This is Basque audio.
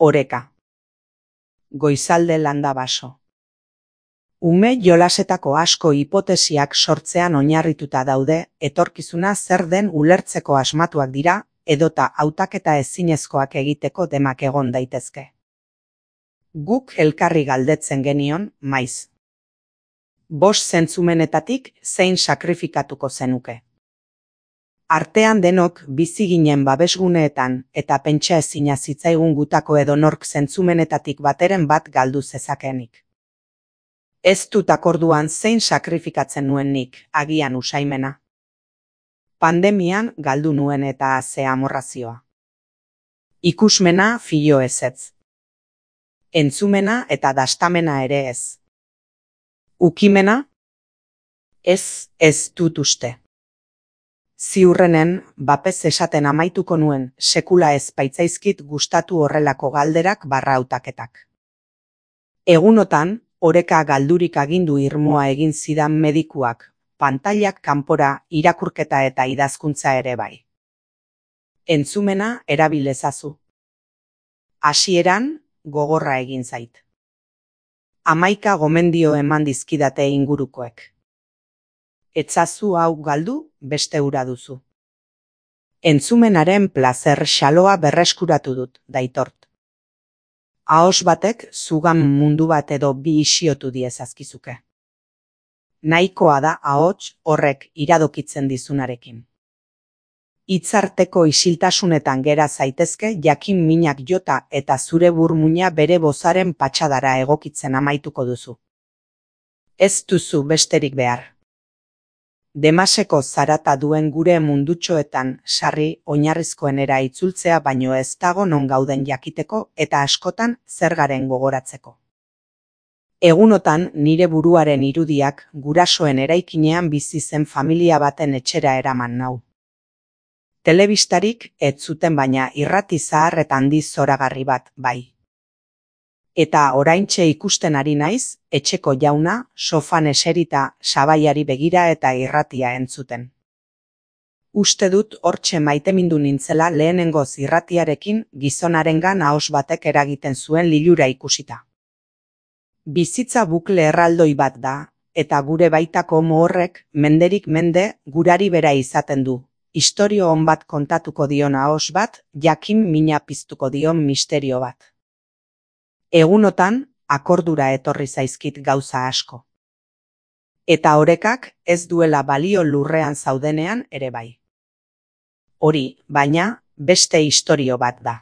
Oreka. Goizalde landa baso. Ume jolasetako asko hipotesiak sortzean oinarrituta daude, etorkizuna zer den ulertzeko asmatuak dira, edota hautaketa ezinezkoak egiteko demak egon daitezke. Guk elkarri galdetzen genion, maiz. 5 zentzumenetatik zein sakrifikatuko zenuke. Artean denok bizi ginen babesguneetan eta pentsa ezina zitzaigun gutako edonork zentzumenetatik bateren bat galdu zezakeenik. Ez dut akorduan zein sakrifikatzen nuen nik, agian usaimena. Pandemian galdu nuen eta ze amorrazioa. Ikusmena filo ezetz. Entzumena eta dastamena ere ez. Ukimena? Ez dut uste. Ziurrenen, bapez esaten amaituko nuen, sekula ez baitzaizkit gustatu horrelako galderak barra hautaketak. Egunotan, oreka galdurik agindu irmoa egin zidan medikuak, pantailak kanpora, irakurketa eta idazkuntza ere bai. Entzumena erabil ezazu. Hasieran, gogorra egin zait. 11 gomendio eman dizkidate ingurukoek. Etzazu hau galdu, beste hura duzu. Entzumenaren plazer xaloa berreskuratu dut, daitort. Ahos batek zugan mundu bat edo bi isiotu diezazkizuke. Nahikoa da ahots horrek iradokitzen dizunarekin. Hitzarteko isiltasunetan gera zaitezke jakin minak jota eta zure burmuina bere bozaren patxadara egokitzen amaituko duzu. Ez duzu besterik behar. Demaseko zarata duen gure mundutxoetan sarri oinarrizkoenera itzultzea baino ez dago non gauden jakiteko eta askotan zer garen gogoratzeko. Egunotan nire buruaren irudiak gurasoen eraikinean bizi zen familia baten etxera eraman nau. Telebistarik ez zuten baina irrati zahar eta handi zoragarri bat, bai. Eta oraintxe ikusten ari naiz, etxeko jauna, sofan eserita, sabaiari begira eta irratia entzuten. Uste dut hortxe maitemindu nintzela lehenengoz irratiarekin gizonarengan ahos batek eragiten zuen lilura ikusita. Bizitza bukle erraldoi bat da, eta gure baitako mohorrek menderik mende gurari bera izaten du. Istorio on bat kontatuko dion ahos bat, jakin mina piztuko dion misterio bat. Egunotan, akordura etorri zaizkit gauza asko. Eta orekak ez duela balio lurrean zaudenean ere bai. Hori, baina, beste istorio bat da.